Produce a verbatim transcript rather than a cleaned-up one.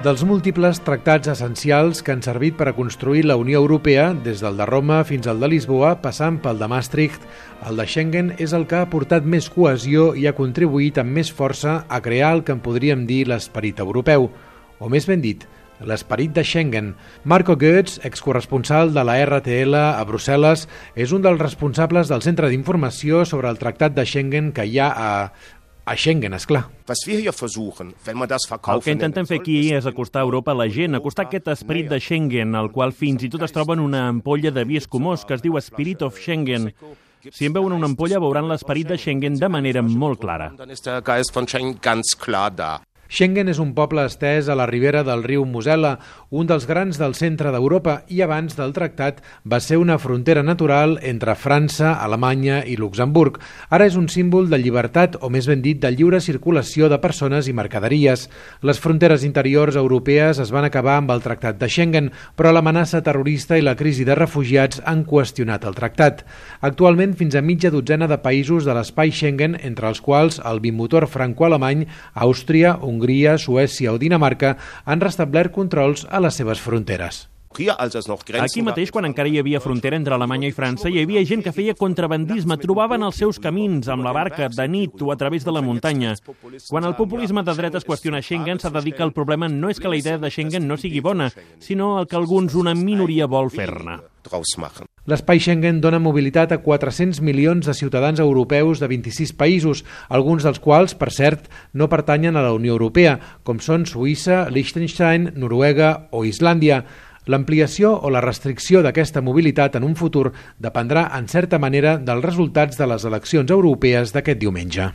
dels múltiples tractats essencials que han servit per a construir la Unió Europea, des del de Roma fins al de Lisboa, passant pel de Maastricht, el de Schengen és el que ha aportat més cohesió i ha contribuït amb més força a crear el que en podríem dir l'esperit europeu, o més ben dit, l'esperit de Schengen. Marco Goetz, excorresponsal de la R T L a Brussel·les, és un dels responsables del Centre d'Informació sobre el Tractat de Schengen que hi ha a... A Schengen, esclar. El que intentem fer aquí és acostar Europa a la gent, acostar aquest esperit de Schengen, al qual fins i tot es troba en una ampolla de vi escumós que es diu Spirit of Schengen. Si en veuen una ampolla veuran l'esperit de Schengen de manera molt clara. Schengen és un poble estès a la ribera del riu Mosel·la, un dels grans del centre d'Europa, i abans del tractat va ser una frontera natural entre França, Alemanya i Luxemburg. Ara és un símbol de llibertat, o més ben dit, de lliure circulació de persones i mercaderies. Les fronteres interiors europees es van acabar amb el tractat de Schengen, però l'amenaça terrorista i la crisi de refugiats han qüestionat el tractat. Actualment, fins a mitja dotzena de països de l'espai Schengen, entre els quals el bimotor franco-alemany, Àustria, Hongria, Suècia o Dinamarca, han restablert controls a les seves fronteres. Aquí mateix, quan encara hi havia frontera entre Alemanya i França, hi havia gent que feia contrabandisme, trobaven els seus camins amb la barca, de nit o a través de la muntanya. Quan el populisme de dretes qüestiona Schengen, s'ha de dir que el problema no és que la idea de Schengen no sigui bona, sinó el que alguns, una minoria, vol fer-ne. L'espai Schengen dona mobilitat a quatre-cents milions de ciutadans europeus de vint-i-sis països, alguns dels quals, per cert, no pertanyen a la Unió Europea, com són Suïssa, Liechtenstein, Noruega o Islàndia. L'ampliació o la restricció d'aquesta mobilitat en un futur dependrà, en certa manera, dels resultats de les eleccions europees d'aquest diumenge.